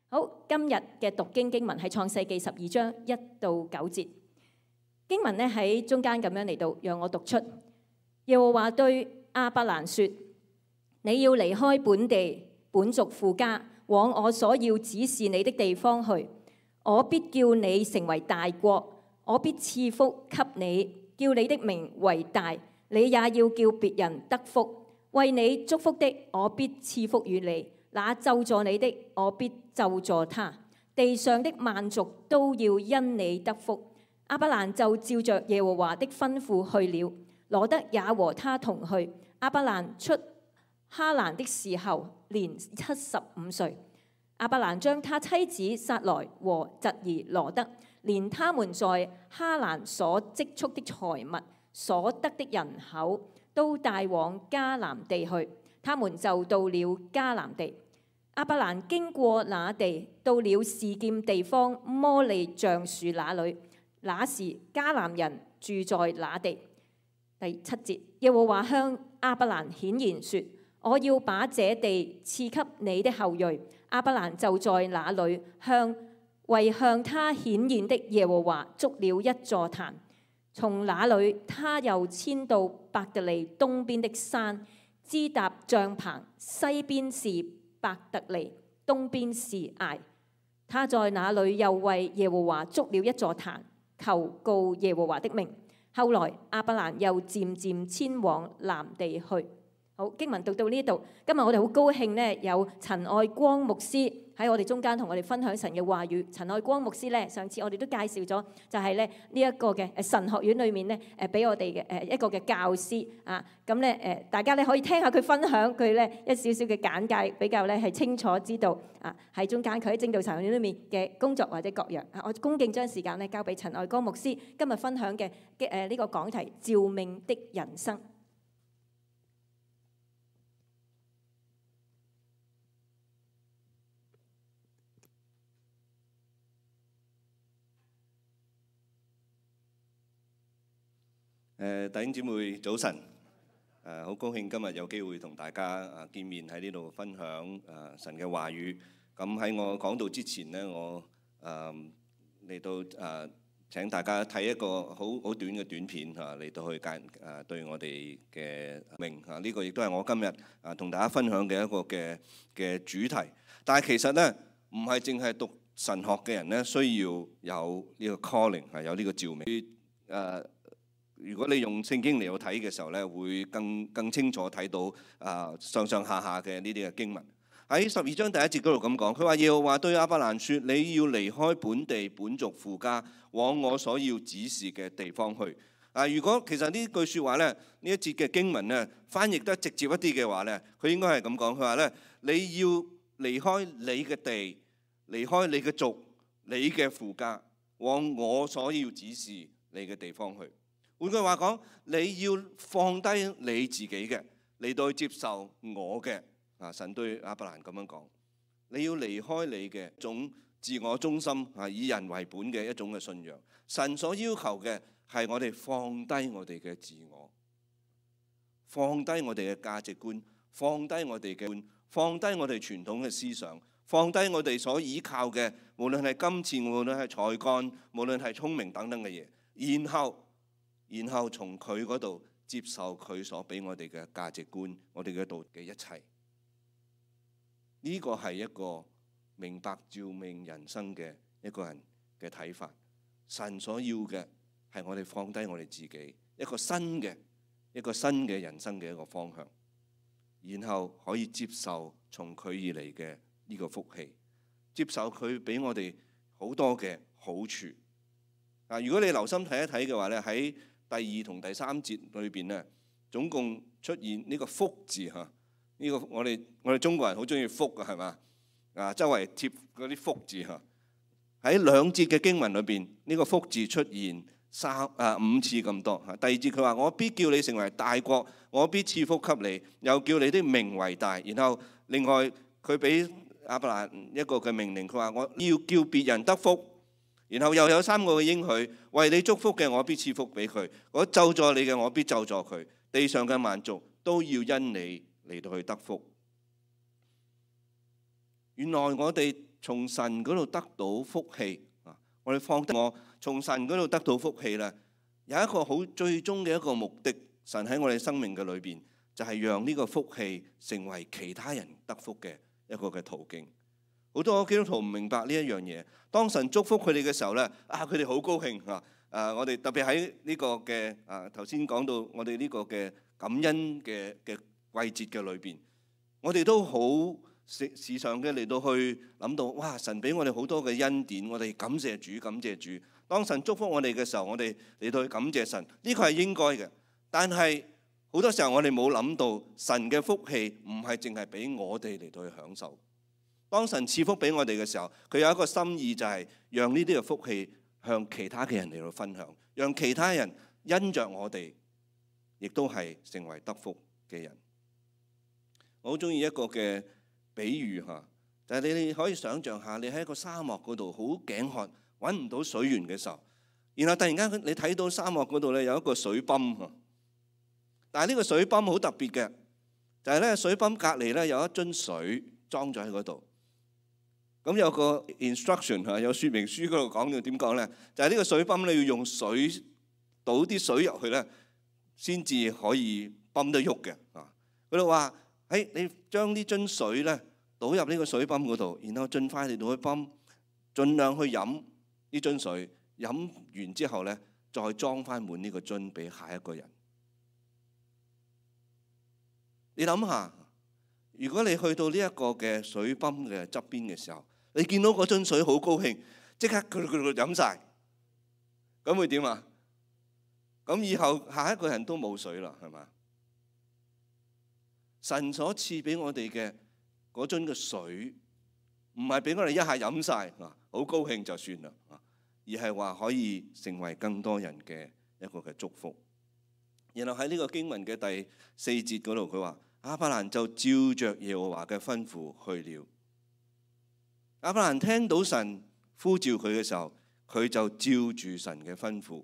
好，今日嘅讀經文係創世記12章1到9節。經文咧喺中間咁樣嚟到，讓我讀出。耶和華對亞伯蘭說：你要離開本地本族父家，往我所要指示你的地方去。我必叫你成為大國，我必賜福給你，叫你的名為大，你也要叫別人得福。為你祝福的，我必賜福與你；那咒詛你的，我必咒詛他。地上的萬族都要因你得福。亞伯蘭就照着耶和華的吩咐去了，羅得也和他同去。亞伯蘭出哈蘭的時候年75歲。亞伯蘭將他妻子撒萊和侄兒羅得，連他們在哈蘭所積蓄的財物、所得的人口，都帶往迦南地去。他們就到了迦南地。亞伯蘭經過那地，到了示劍地方摩利橡樹那裏，那時迦南人住在那地。第7節，耶和華向亞伯蘭顯現說：我要把這地賜給你的後裔。亞伯蘭就在那裏為向他顯現的耶和華築了一座壇。從那裏他又遷到伯特利東邊的山，支搭帳棚，西邊是伯特利，東邊是艾。他在那裏又為耶和華築了一座壇，求告耶和華的名。後來亞伯蘭又漸漸遷往南地去。好，經文讀到呢度，今日我哋好高興呢，有陳愛光牧師喺我哋中間同我哋分享神嘅話語。陳愛光牧師呢，上次我哋都介紹咗，就係咧呢一個嘅神學院裏面呢，俾我哋嘅一個嘅教師啊。咁咧大家咧可以聽下佢分享佢咧一少少嘅簡介，比較咧係清楚知道啊喺中間佢喺正道神學院裏面嘅工作或者各樣啊。我恭敬將時間咧交俾陳愛光牧師今日分享嘅呢個講題：召命的人生。弟兄姊妹早晨，好高興今日有機會同大家見面喺呢度分享神嘅話語。咁喺我講道之前呢，我嚟到請大家睇一個好短嘅短片嚟到去對我哋嘅命呢個亦都係我今日同大家分享嘅一個嘅主題。但係其實呢，唔係淨係讀神學嘅人呢，需要有呢個 calling 有呢個召命。如果你用聖經嚟到睇嘅時候咧，會更清楚睇到上上下下嘅呢啲嘅經文。喺12章第1節嗰度咁講，佢話耶和華對亞伯蘭說：你要離開本地本族父家，往我所要指示嘅地方去。如果其實呢句説話咧，呢一節嘅經文咧，翻譯得直接一啲嘅話咧，佢應該係咁講。佢話咧，你要離開你嘅地，離開你嘅族，你嘅父家，往我所要指示你嘅地方去。換句話講，你要放低你自己嘅，嚟到接受我嘅。神對亞伯蘭咁樣講，你要離開你嘅一種自我中心以人為本嘅一種嘅信仰。神所要求嘅係我哋放低我哋嘅自我，放低我哋嘅價值觀，放低我哋嘅，放低我哋傳統嘅思想，放低我哋所依靠嘅，無論係金錢，無論係才幹，無論係聰明等等嘅嘢，然後從佢嗰度接受佢所俾我哋嘅價值觀，我哋嘅道嘅一切。呢個係一個明白召命人生嘅一個人嘅睇法。神所要嘅係我哋放低我哋自己，一個新嘅人生嘅一個方向，然後可以接受從佢而嚟嘅呢個福氣，接受佢俾我哋好多嘅好處。如果你留心睇一睇嘅話咧，喺第2同第3節裏邊咧，總共出現呢個福字嚇。呢個我哋中國人好中意福㗎，係嘛？周圍貼嗰啲福字嚇。喺2節嘅經文裏邊，呢個福字出現5次咁多。第2節佢話：我必叫你成為大國，我必賜福給你，又叫你的名為大。然後另外佢俾亞伯蘭一個嘅命令，佢話：我要叫別人得福。然後又有3個嘅應許，為你祝福嘅我必賜福俾佢，我咒詛你嘅我必咒詛佢，地上嘅萬族都要因你嚟到去得福。原來我哋從神嗰度得到福氣啊！我哋放低我從神嗰度得到福氣咧，有一個好最終嘅一個目的，神喺我哋生命嘅裏邊，就係讓呢個福氣成為其他人得福嘅一個嘅途徑。好多基督徒唔明白呢一樣嘢。當神祝福佢哋嘅時候咧，佢哋好高興啊！我哋特別喺呢個嘅頭先講到我哋呢個嘅感恩嘅季節嘅裏邊，我哋都好時常嘅嚟到去諗到，哇！神俾我哋好多嘅恩典，我哋感謝主，感謝主。當神祝福我哋嘅時候，我哋嚟到去感謝神，呢個係應該嘅。但係好多時候我哋冇諗到，神嘅福氣唔係淨係俾我哋嚟到去享受。當神賜福俾我哋嘅時候，佢有一個心意，就係讓呢啲嘅福氣向其他嘅人嚟到分享，讓其他人因着我哋，亦都係成為得福嘅人。我好中意一個嘅比喻嚇，就係你可以想象下，你喺一個沙漠嗰度好頸渴，揾唔到水源嘅時候，然後突然間你睇到沙漠嗰度咧有一個水泵嚇，但係呢個水泵好特別嘅，就係咧水泵隔離咧有一樽水裝咗喺嗰度。咁有個 instruction 嚇，有說明書嗰度講到點講咧，就係呢個水泵咧要用水倒啲水入去咧，先至可以泵得喐嘅啊。佢哋話：你將呢樽水咧倒入呢個水泵嗰度，然後盡快嚟到去泵，盡量去飲呢樽水，飲完之後咧再裝翻滿呢個樽俾下一個人。你諗下，如果你去到呢一個嘅水泵嘅側邊嘅時候，你見到嗰樽水好高興，即刻佢飲晒，咁會點啊？咁以後下一個人都冇水啦，係嘛？神所賜俾我哋嘅嗰樽嘅水，唔係俾我哋一下飲晒，好高興就算啦，而係話可以成為更多人嘅一個嘅祝福。然後喺呢個經文嘅第4節嗰度，佢話亞伯蘭就照着耶和華嘅吩咐去了。亞伯蘭聽到神呼召佢嘅時候，佢就照住神嘅吩咐，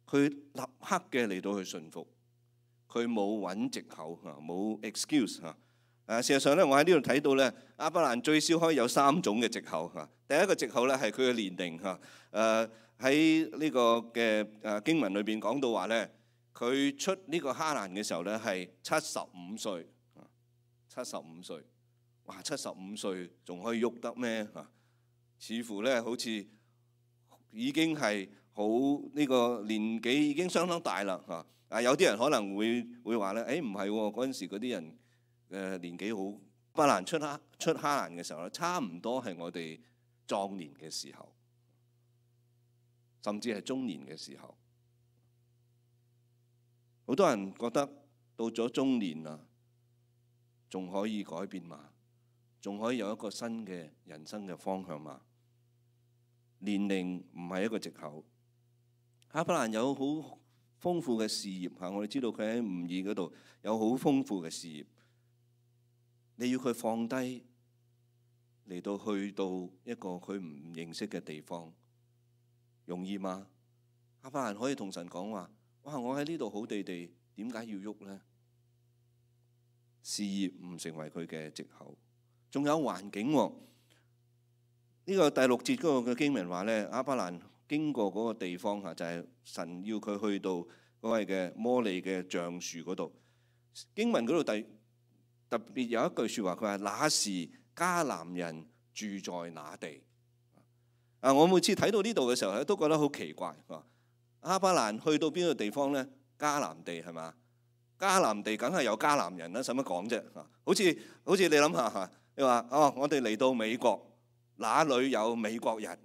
佢立刻嘅嚟到去順服，佢冇揾藉口嚇，冇 excuse 嚇。事實上咧，我喺呢度睇到咧，亞伯蘭最少可以有3種嘅藉口嚇。第一個藉口咧係佢嘅年齡嚇。喺呢個嘅經文裏邊講到話咧，佢出呢個哈蘭嘅時候咧係75歲，75歲。哇！75歲仲可以喐得咩？似乎咧好似已經係好呢個年紀已經相當大啦嚇。有啲人可能會話咧，唔係喎，嗰陣時嗰啲人年紀好。亞伯蘭出哈蘭嘅時候咧，差唔多係我哋壯年嘅時候，甚至係中年嘅時候。好多人覺得到咗中年啦，仲可以改變嘛？仲可以有一個新嘅人生嘅方向嘛？年齡唔係一個藉口。亞伯蘭有好豐富嘅事業嚇，我哋知道佢喺吾珥嗰度有好豐富嘅事業。你要佢放低嚟到去到一個佢唔認識嘅地方，容易嗎？亞伯蘭可以同神講話：哇！我喺呢度好地地，點解要喐呢？事業唔成為佢嘅藉口。仲有環境喎，呢個第6節嗰個嘅經文話咧，亞伯蘭經過嗰個地方嚇，就係神要佢去到嗰個嘅摩利嘅橡樹嗰度。經文嗰度特別有一句説話，佢話：那時迦南人住在那地。我每次睇到呢度嘅時候咧，都覺得好奇怪。亞伯蘭去到邊個地方咧？迦南地係嘛？迦南地梗係有迦南人啦，使乜講啫？好似你諗下嚇。你話我哋嚟到美國，哪裏有美國人？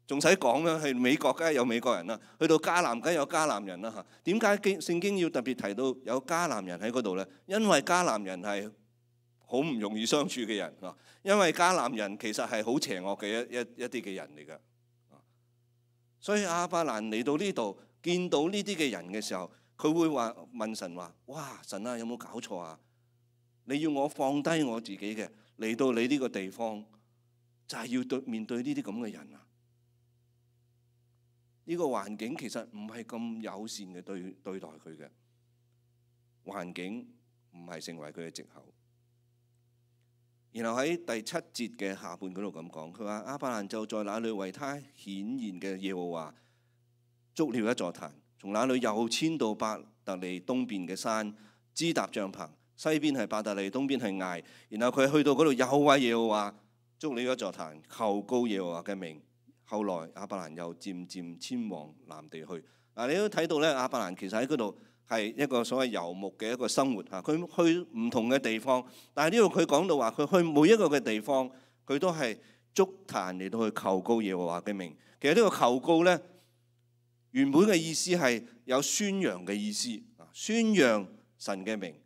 仲使講咩？係美國梗係有美國人啦，去到迦南梗係有迦南人啦嚇。點解聖經要特別提到有迦南人喺嗰度咧？因為迦南人係好唔容易相處嘅人啊，因為迦南人其實係好邪惡嘅一啲嘅人嚟㗎。所以亞伯蘭嚟到呢度，見到呢啲嘅人嘅時候，佢會問神話：哇！神啊，有冇搞錯啊？你要我放低我自己嘅嚟到你呢個地方，就係要面對呢啲咁嘅人啊！呢個環境其實唔係咁友善嘅對待佢嘅，環境唔係成為佢嘅藉口。然後喺第7節嘅下半嗰度咁講，佢話亞伯蘭就在那裏為他顯現嘅耶和華築了一座壇，從那裏又遷到伯特利東邊嘅山，支搭帳棚，西邊係伯特利，東邊係艾。然後佢去到嗰度又為耶和華築了一座壇，求告耶和華嘅名。後來亞伯蘭又漸漸遷往南地去。你都睇到咧，亞伯蘭其實喺嗰度係一個所謂遊牧嘅一個生活嚇。佢去唔同嘅地方，但係呢度佢講到話，佢去每一個嘅地方，佢都係築壇嚟到去求告耶和華嘅名。其實呢個求告咧，原本嘅意思係有宣揚嘅意思，宣揚神嘅名。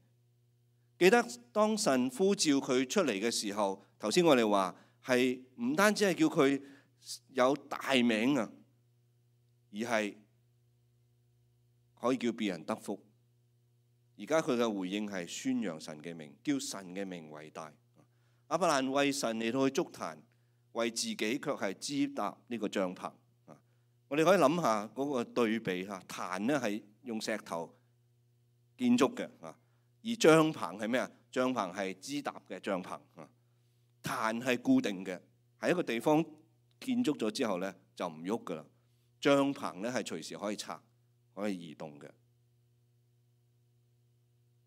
記得當神呼召佢出嚟嘅時候，頭先我哋話係唔單止係叫佢有大名啊，而係可以叫別人得福。而家佢嘅回應係宣揚神嘅名，叫神嘅名為大。亞伯蘭為神嚟到去築壇，為自己卻係支搭呢個帳棚。我哋可以諗下嗰個對比嚇，壇咧係用石頭建築嘅，而帳棚係咩啊？帳棚係支搭嘅帳篷，壇係固定嘅，喺一個地方建築咗之後咧就唔喐噶啦。帳棚咧係隨時可以拆，可以移動嘅。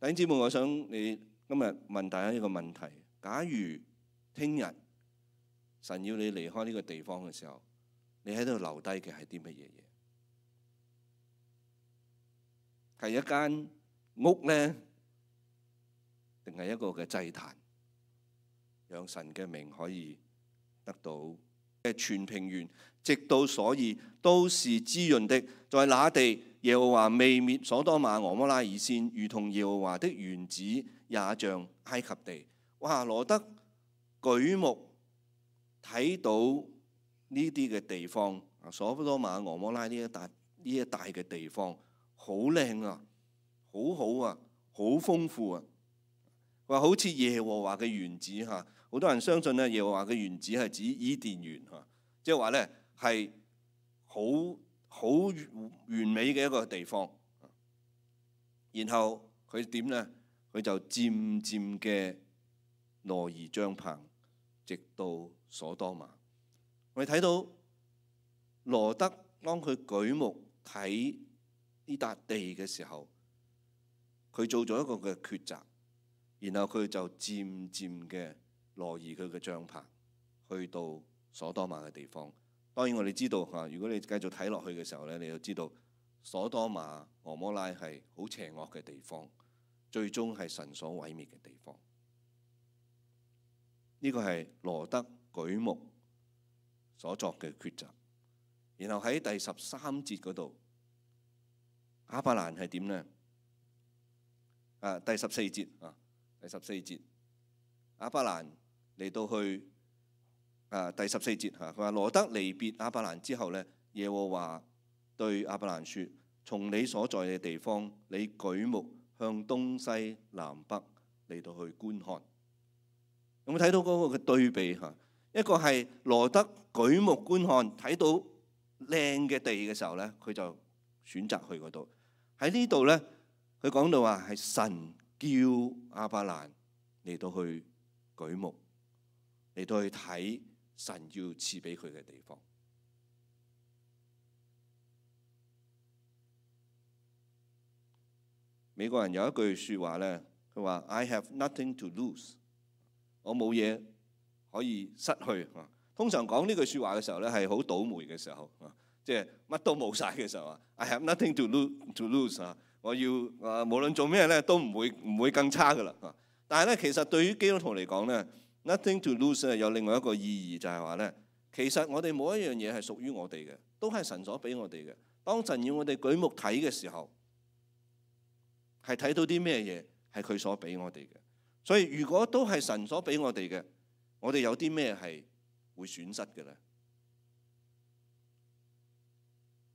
弟兄姊妹，我想你今日問大家一個問題：假如聽日神要你離開呢個地方嘅時候，你喺度留低嘅係啲乜嘢嘢？係一間屋咧，定係一個嘅祭壇，讓神嘅名可以得到嘅全平原，直到所以都是滋潤的。在那地，耶和華未滅所多瑪、蛾摩拉以先，如同耶和華的園子也像埃及地。哇！羅得舉目睇到呢啲嘅地方，所多瑪、蛾摩拉呢一帶嘅地方，好靚啊，好好啊，好豐富啊。話好似耶和華嘅園子嚇，好多人相信咧，耶和華嘅園子係指伊甸園嚇，即係話咧係好完美嘅一個地方。然後佢點咧？佢就漸漸嘅挪移帳棚，直到所多瑪。我哋睇到羅得當佢舉目睇呢笪地嘅時候，佢做咗一個嘅抉擇，然後佢就漸漸嘅挪移佢嘅帳棚，去到所多瑪嘅地方。當然我哋知道嚇，如果你繼續睇落去嘅時候咧，你就知道所多瑪、蛾摩拉係好邪惡嘅地方，最終係神所毀滅嘅地方。呢個係羅得舉目所作嘅抉擇。然後喺第13節嗰度，亞伯蘭係點呢？第14節第14節，亞伯蘭嚟到去第14節佢話羅得離別亞伯蘭之後呢，耶和華對亞伯蘭說：從你所在嘅地方，你舉目向東西南北嚟到去觀看。有冇睇到嗰個嘅對比嚇？一個係羅得舉目觀看，睇到靚嘅地嘅時候咧，佢就選擇去嗰度。喺呢度咧，佢講到話係神叫亞伯蘭嚟到去舉目，嚟到去睇神要賜俾佢嘅地方。美國人有一句説話咧，佢話 I have nothing to lose。我冇嘢可以失去。通常講呢句説話嘅時候咧，係好倒霉嘅時候，即係乜都冇晒嘅時候。I have nothing to lose。我要無論做咩咧，都唔會更差噶啦。但係咧，其實對於基督徒嚟講咧，nothing to lose 咧有另外一個意義，就係話咧，其實我哋冇一樣嘢係屬於我哋嘅，都係神所俾我哋嘅。當神要我哋舉目睇嘅時候，係睇到啲咩嘢係佢所俾我哋嘅。所以如果都係神所俾我哋嘅，我哋有啲咩係會損失嘅咧？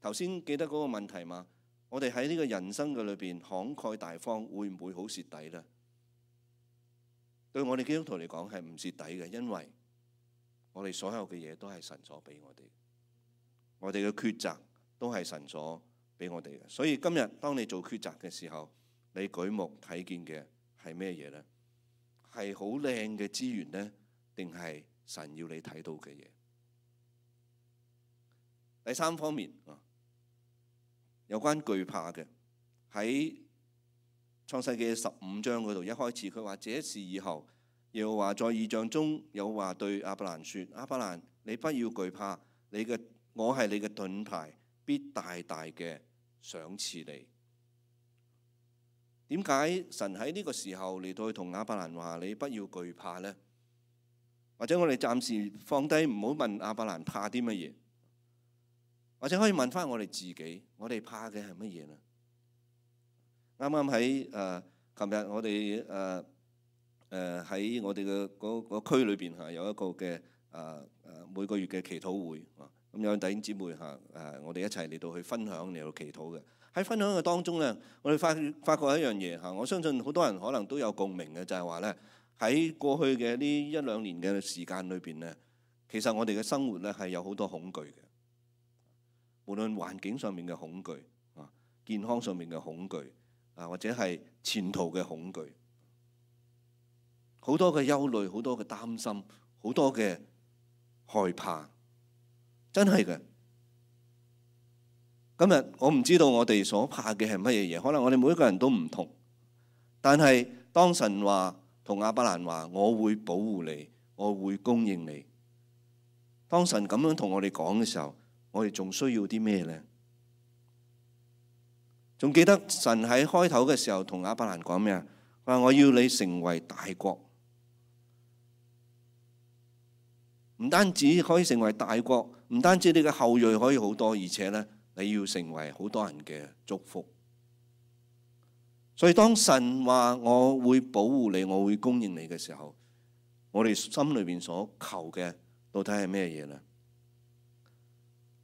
頭先記得嗰個問題嘛？我哋喺呢個人生嘅裏邊慷慨大方，會唔會好蝕底咧？對我哋基督徒嚟講係唔蝕底嘅，因為我哋所有嘅嘢都係神所俾我哋，我哋嘅抉擇都係神所俾我哋嘅。所以今日當你做抉擇嘅時候，你舉目睇見嘅係咩嘢咧？係好靚嘅資源呢？定係神要你睇到嘅嘢？第三方面有關懼怕嘅，喺創世記15章嗰度，一開始佢話：這事以後，耶和華在異象中有話對亞伯蘭說：亞伯蘭，你不要懼怕，我係你嘅盾牌，必大大嘅賞賜你。點解神喺呢個時候嚟到去同亞伯蘭話你不要懼怕呢？或者我哋暫時放低，唔好問亞伯蘭怕啲乜嘢，或者可以問翻我哋自己，我哋怕嘅係乜嘢呢？啱啱喺琴日我哋喺我哋嘅嗰區裏邊有一個嘅每個月嘅祈禱會，咁有弟兄姊妹我哋一齊嚟到去分享嚟到祈禱嘅。喺分享嘅當中咧，我哋發覺一樣嘢，我相信好多人可能都有共鳴嘅，就係話咧，喺過去嘅呢一兩年嘅時間裏邊咧，其實我哋嘅生活咧係有好多恐懼嘅，無論環境上面嘅恐懼健康上面嘅恐懼或者係前途嘅恐懼，好多嘅憂慮，好多嘅擔心，好多嘅害怕，真係嘅。今日我唔知道我哋所怕嘅係乜嘢嘢，可能我哋每一個人都唔同。但係當神話同亞伯蘭話，我會保護你，我會供應你。當神咁樣同我哋講嘅時候，我哋仲需要啲咩呢？仲記得神喺開頭嘅時候同亞伯蘭講咩啊？話我要你成為大國，唔單止可以成為大國，唔單止你嘅後裔可以好多，而且呢，你要成為好多人嘅祝福。所以當神話我會保護你，我會供應你嘅時候，我哋心裏邊所求嘅到底係咩嘢呢？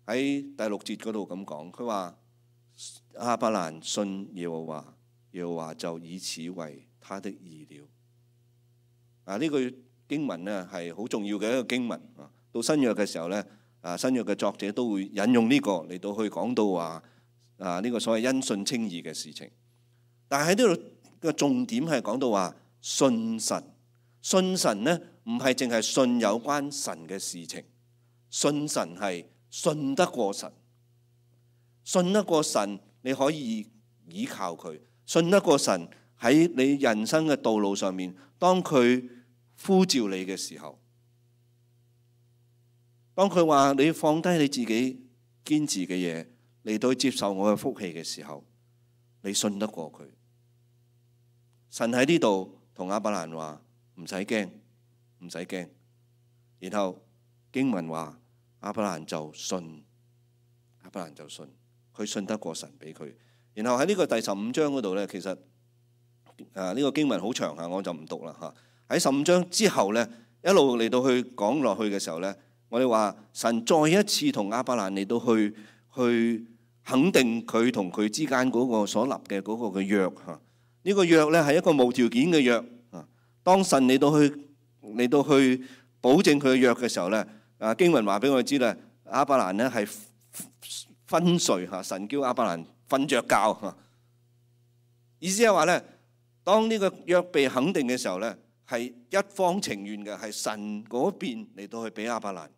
喺第6節嗰度咁講，佢話亞伯蘭信耶和華，耶和華就以此為他的義了。呢句經文呢係好重要嘅一個經文。到新約嘅時候呢，新約嘅作者都會引用呢個嚟到去講到話呢個所謂因信稱義嘅事情。但係喺呢度嘅重點係講到話信神。信神呢唔係淨係信有關神嘅事情，信神係信得過神，信得過神你可以依靠佢，信得過神喺你人生嘅道路上面，當佢呼召你嘅時候，當佢話你放低你自己堅持嘅嘢嚟到接受我嘅福氣嘅時候，你信得過佢。神喺呢度同亞伯蘭話唔使驚，唔使驚。然後經文話亞伯蘭就信，亞伯蘭就信，佢信得過神俾佢。然後喺呢個第15章嗰度咧，其實呢個經文好長我就唔讀啦嚇。喺15章之後咧，一路嚟到去講落去嘅時候咧，我哋話神再一次同亞伯蘭嚟到去肯定佢同佢之間嗰個所立嘅嗰個嘅約嚇。呢個約咧係一個無條件嘅約啊。當神嚟到去保證佢嘅約嘅時候咧，經文話俾我哋知咧，亞伯蘭咧係昏睡嚇，神叫亞伯蘭瞓着覺嚇。意思係話咧，當呢個約被肯定嘅時候咧，係一方情願嘅，係神嗰邊嚟到去俾亞伯蘭，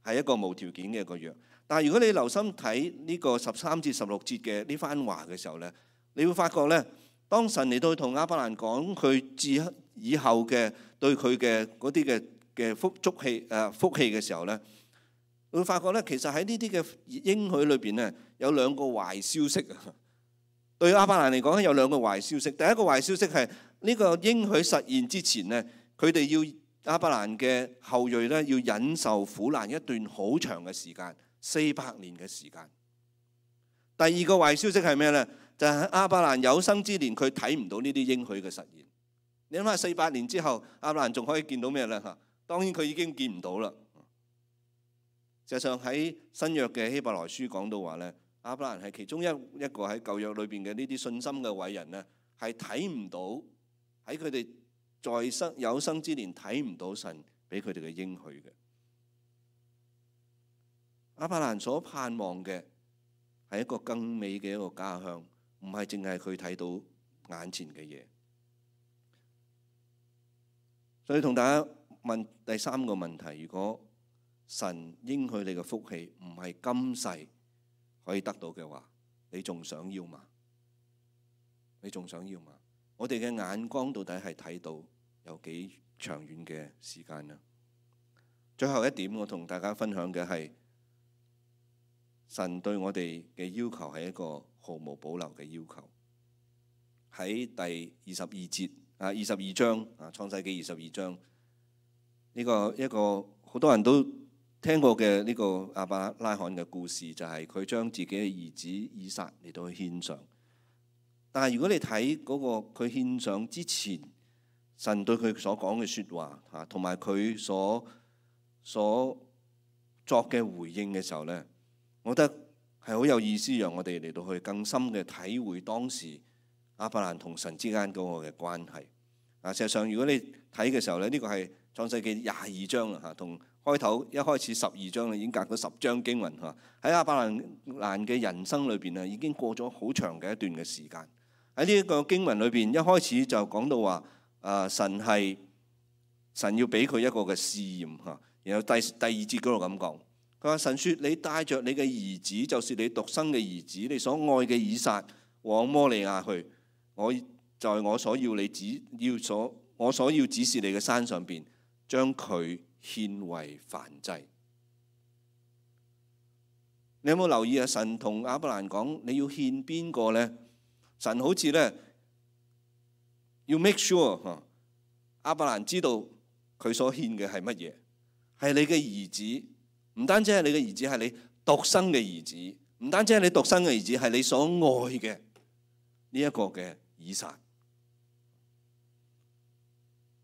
係一個無條件嘅一個約。但係如果你留心睇呢個13至16節嘅呢番話嘅時候咧，你會發覺咧，當神嚟到同亞伯蘭講佢自以後嘅對佢嘅嗰啲嘅福氣嘅時候咧，會發覺咧，其實喺呢啲嘅應許裏邊咧，有兩個壞消息啊。對亞伯蘭嚟講有兩個壞消息。第一個壞消息係呢個應許實現之前咧，佢哋要亞伯蘭嘅後裔咧要忍受苦難一段好長嘅時間，400年嘅時間。第二個壞消息係咩咧？就係亞伯蘭有生之年，佢睇唔到呢啲應許嘅實現。你諗下，400年之後，亞伯蘭仲可以見到咩咧？嚇，當然佢已經見唔到啦。實際上喺新約嘅希伯來書講到話咧，亞伯蘭係其中一個喺舊約裏邊嘅呢啲信心嘅偉人咧，係睇唔到喺佢哋在有生之年睇唔到神俾佢哋嘅應許嘅。亞伯蘭所盼望嘅係一個更美嘅一個家鄉。唔係淨係佢睇到眼前嘅嘢。所以同大家問第三個問題：如果神應許你嘅福氣唔係今世可以得到嘅話，你仲想要嗎？你仲想要嗎？我哋嘅眼光到底係睇到有幾長遠嘅時間呢？最後一點，我同大家分享嘅係神對我哋嘅要求係一個毫無保留嘅要求。喺第22章創世記22章呢個一個好多人都聽過嘅呢個亞伯拉罕嘅故事，就係佢將自己嘅兒子以撒嚟到去獻上。但係如果你睇嗰個佢獻上之前，神對佢所講嘅説話嚇，同埋佢所作嘅回應嘅時候呢，我覺得係好有意思，讓我哋嚟到去更深嘅體會當時亞伯蘭同神之間嗰個嘅關係。事實上如果你睇嘅時候呢，呢個係創世記22章啦嚇，同開頭一開始12章已經隔咗10章經文嚇。喺亞伯蘭嘅人生裏邊已經過咗好長嘅一段嘅時間。喺呢一個經文裏邊，一開始就講到話神要俾佢一個嘅試驗嚇。然後第二節嗰度咁講，佢話神說：你帶着你嘅兒子，就是你獨生嘅兒子，你所愛嘅以撒，往摩利亞去。我在我所要指示你嘅山上邊，將佢獻為燔祭。你有冇留意啊？神同亞伯蘭講：你要獻邊個呢？神好似呢，要 make sure 亞伯蘭知道佢所獻嘅係乜嘢，係你嘅兒子，唔單止係你嘅兒子，係你獨生嘅兒子，唔單止係你獨生嘅兒子，係你所愛嘅呢一個嘅以撒。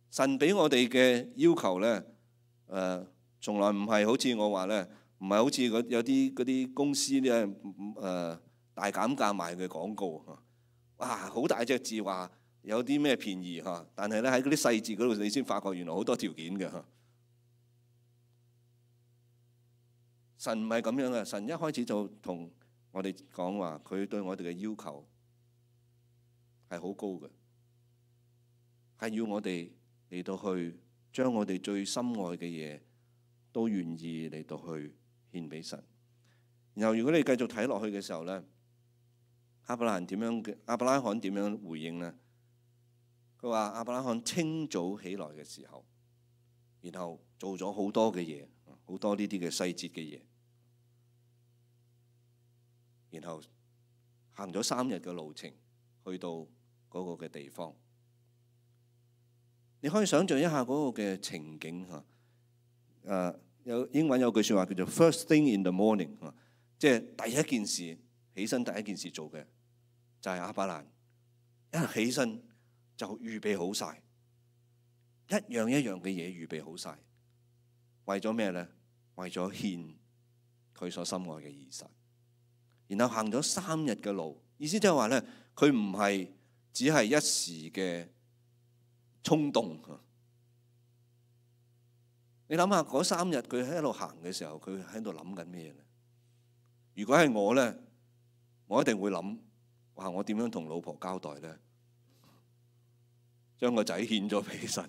神俾我哋嘅要求呢，從來唔係好似我話呢，唔係好似有啲嗰啲公司呢，大減價賣嘅廣告。哇！好大隻字話有啲咩便宜嚇，但係咧喺嗰啲細節嗰度，你先發覺原來好多條件嘅嚇。神唔係咁樣嘅，神一開始就同我哋講話，佢對我哋嘅要求係好高嘅，係要我哋嚟到去將我哋最深愛嘅嘢都願意嚟到去獻俾神。然後如果你繼續睇落去嘅時候咧，亞伯拉罕點樣回應呢？佢話亞伯拉罕清早起來嘅時候，然後做咗好多嘅嘢，好多呢啲嘅細節嘅嘢，然後行咗3日嘅路程去到嗰個嘅地方。你可以想象一下嗰個嘅情景嚇。有英文有句説話叫做 First thing in the morning， 即係第一件事起身第一件事做嘅就係亞伯蘭一起身就預備好晒，一樣一樣嘅嘢預備好晒，為咗咩呢？為咗獻佢所心愛嘅以撒。然後行咗3日嘅路，意思即係話呢，佢唔係只係一時嘅衝動。你諗下嗰3日佢喺度行嘅時候，佢喺度諗緊咩呢？如果係我呢，我一定會諗：哇！我點樣同老婆交代呢？將個仔獻咗俾神，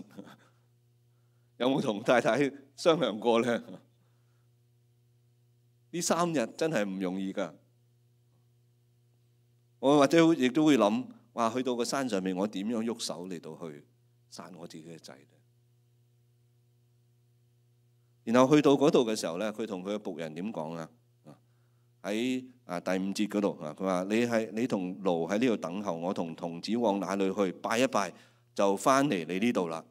有冇同太太商量過呢？呢3日真係唔容易㗎。我或者亦都會諗：哇！去到個山上面，我點樣喐手嚟到去殺我自己嘅仔呢？然後去到嗰度嘅時候咧，佢同佢嘅僕人點講啊？喺第5節嗰度啊，佢話：你同驢喺呢度等候，我同童子往哪裏去拜一拜，就翻嚟你呢度啦。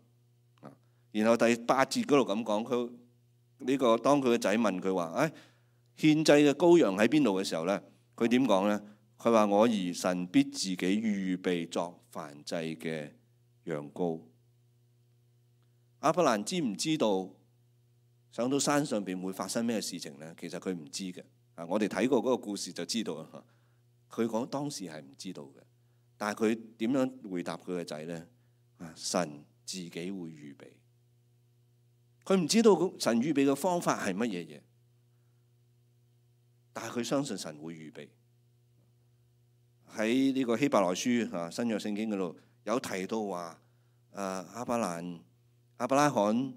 然後第8節嗰度咁講，佢呢個當佢嘅仔問佢話：獻祭嘅羔羊喺邊度嘅時候咧，佢點講咧？佢話：我兒神必自己預備作燔祭嘅羊羔。亞伯蘭知唔知道上到山上邊會發生咩事情呢？其實佢唔知嘅。我哋睇過嗰個故事就知道啦。佢講當時係唔知道嘅，但係佢點樣回答佢嘅仔呢？神自己會預備。佢唔知道神預備嘅方法係乜嘢嘢，但係佢相信神會預備。喺呢個希伯來書新約聖經嗰度有提到話，亞伯蘭亞伯拉罕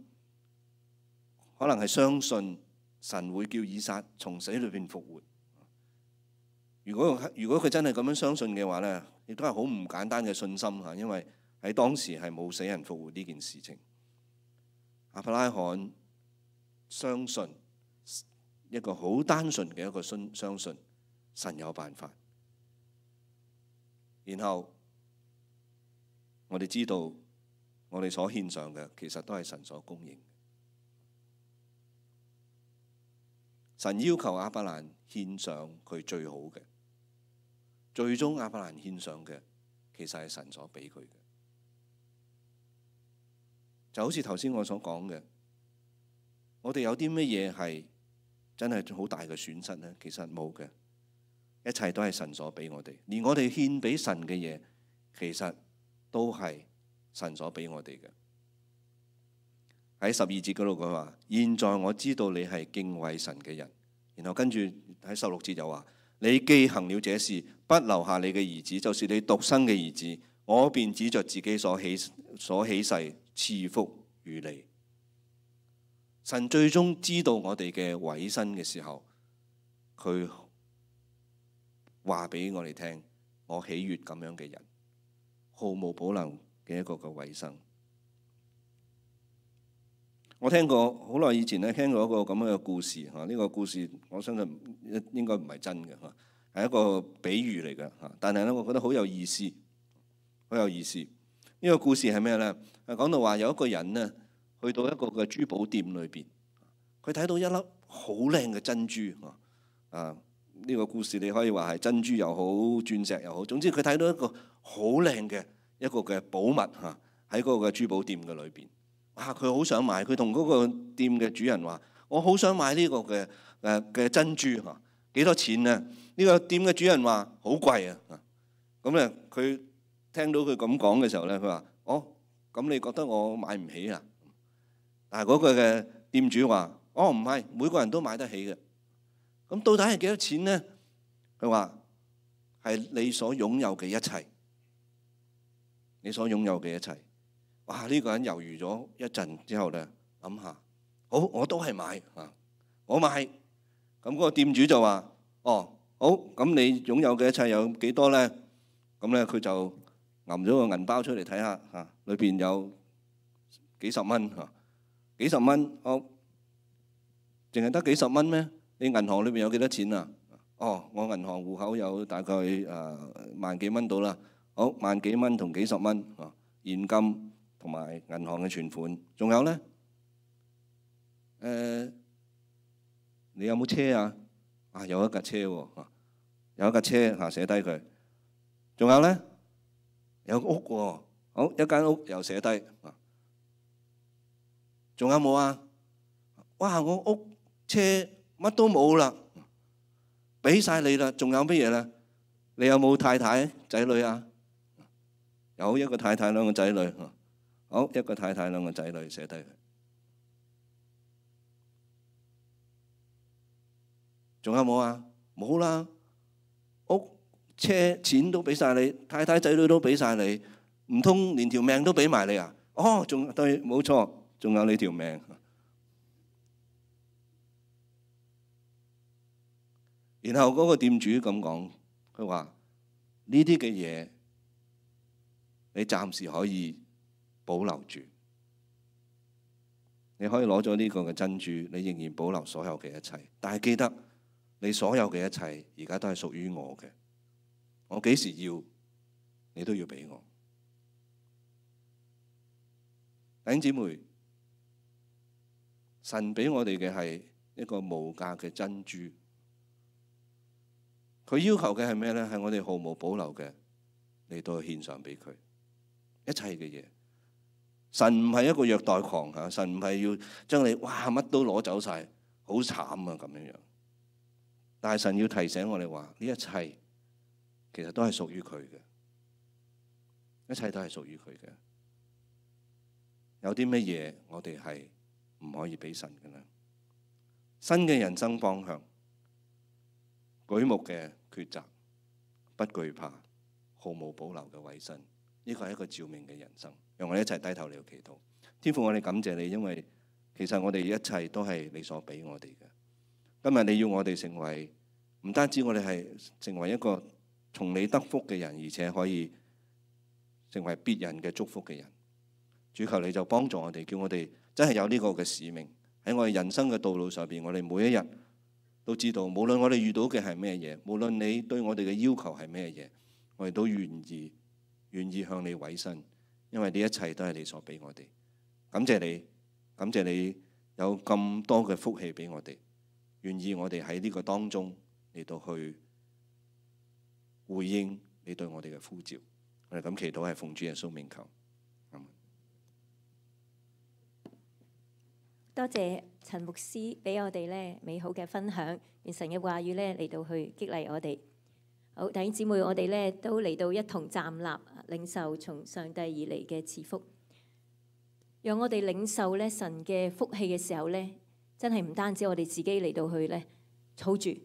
可能係相信神會叫以撒從死裏邊復活。如果佢真係咁樣相信嘅話咧，亦都係好唔簡單嘅信心嚇，因為喺當時係冇死人復活呢件事情。亞伯拉罕相信一個好單純嘅一個相信神有辦法。然後我哋知道，我哋所獻上嘅其實都係神所供應。神要求亞伯蘭獻上佢最好嘅，最終亞伯蘭獻上嘅其實係神所俾佢嘅。就好似頭先我所講嘅，我哋有啲乜嘢係真係好大嘅損失呢？其實冇嘅，一切都係神所俾我哋。連我哋獻俾神嘅嘢，其實都係神所俾我哋嘅。喺12節嗰度佢話：現在我知道你係敬畏神嘅人。然後跟住喺16節就話：你既行了這事，不留下你嘅兒子，就是你獨生嘅兒子，我便指着自己所起誓賜福與你。神最終知道我哋嘅委身嘅時候，佢話俾我哋聽：我喜悅咁樣嘅人，毫無保留嘅一個嘅委身。我聽過好耐以前咧，聽過一個咁樣嘅故事嚇。呢個故事我相信應該唔係真嘅嚇，係一個比喻嚟嘅嚇。但係咧，我覺得好有意思，好有意思。呢個故事係咩咧？係講到話有一個人咧，去到一個嘅珠寶店裏邊，佢睇到一粒好靚嘅珍珠啊！呢個故事你可以話係珍珠又好，鑽石又好，總之佢睇到一個好靚嘅一個嘅寶物嚇，喺嗰個嘅珠寶店嘅裏邊。哇！佢好想買，佢同嗰個店嘅主人話：我好想買呢個嘅珍珠嚇，幾多錢呢？呢個店嘅主人話：好貴啊！咁咧，佢聽到佢咁講嘅時候咧，佢話：哦，咁你覺得我買唔起啊？但係嗰個嘅店主話：哦，唔係，每個人都買得起嘅。咁到底係幾多錢呢？佢話係你所擁有嘅一切，你所擁有嘅一切。哇！呢個人猶豫咗一陣之後咧，諗下，好，我都係買啊，我買。咁嗰個店主就話：哦，好，咁你擁有嘅一切有幾多咧？咁咧佢就揞咗個銀包出嚟睇下嚇，裏邊有幾十蚊嚇，幾十蚊，好，淨係得幾十蚊咩？你銀行裏邊有幾多錢啊？哦，我銀行戶口有大概萬幾蚊到啦。好，萬幾蚊同幾十蚊啊，現金同埋銀行嘅存款，仲有咧？你有冇車啊？啊，有一架車喎，有一架車嚇，寫低佢。仲有咧？有屋喎，好，一間屋又寫低。仲有冇啊？哇！我屋車乜都冇啦，俾晒你啦，仲有乜嘢咧？你有冇太太仔女啊？有一個太太兩個仔女。好，一個太太兩個仔女寫低佢。仲有冇啊？冇啦，屋車錢都俾晒你，太太仔女都俾晒你，唔通連條命都俾埋你啊？哦，仲對，冇錯，仲有你條命。然後嗰個店主咁講，佢話呢啲嘅嘢你暫時可以保留住，你可以攞咗呢個嘅珍珠，你仍然保留所有嘅一切。但係記得，你所有嘅一切而家都係屬於我嘅。我幾時要，你都要俾我。弟兄姊妹，神俾我哋嘅係一個無價嘅珍珠。佢要求嘅係咩咧？係我哋毫無保留嘅嚟到獻上俾佢一切嘅嘢。神唔係一個虐待狂嚇，神唔係要將你哇乜都攞走晒，好慘啊咁樣樣。但係神要提醒我哋話，呢一切其實都係屬於佢嘅，一切都係屬於佢嘅。有啲乜嘢我哋係唔可以俾神嘅咧？新嘅人生方向，舉目嘅抉擇，不懼怕，毫無保留嘅委身，呢個係一個召命嘅人生。讓我哋一齊低頭嚟祈禱。天父，我哋感謝你，因為其實我哋一切都係你所俾我哋嘅。今日你要我哋成為，唔單止我哋係成為一個從你得福嘅人，而且可以成為別人嘅祝福嘅人。主，求你就幫助我哋，叫我哋真係有呢個嘅使命喺我哋人生嘅道路上邊。我哋每一日都知道，無論我哋遇到嘅係咩嘢，無論你對我哋嘅要求係咩嘢，我哋都願意向你委身，因為呢一切都係你所俾我哋。感謝你，感謝你有咁多嘅福氣俾我哋，願意我哋喺呢個當中嚟到去回應你對我哋嘅呼召。我哋咁祈禱係奉主耶穌名求。多謝陳牧師俾我哋咧美好嘅分享，願神嘅話語咧嚟到去激勵我哋。好，弟兄姊妹，我哋咧都嚟到一同站立，領受從上帝而嚟嘅賜福。讓我哋領受咧神嘅福氣嘅時候咧，真係唔單止我哋自己嚟到去咧儲住，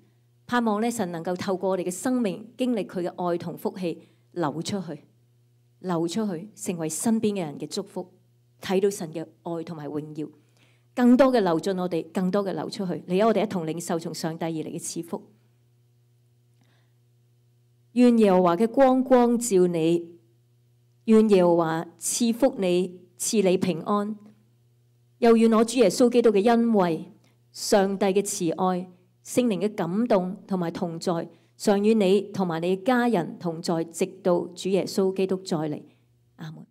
盼望咧神能夠透過我哋嘅生命經歷佢嘅愛同福氣流出去，成為身邊嘅人嘅祝福，睇到神嘅愛同埋榮耀。更多嘅流進我哋，更多嘅流出去。嚟，我哋一同領受從上帝而嚟嘅賜福。願耶和華嘅光光照你，願耶和華賜福你，賜你平安。又願我主耶穌基督嘅恩惠、上帝嘅慈愛、聖靈嘅感動同埋同在，常與你同埋你嘅家人同在，直到主耶穌基督再嚟。阿門。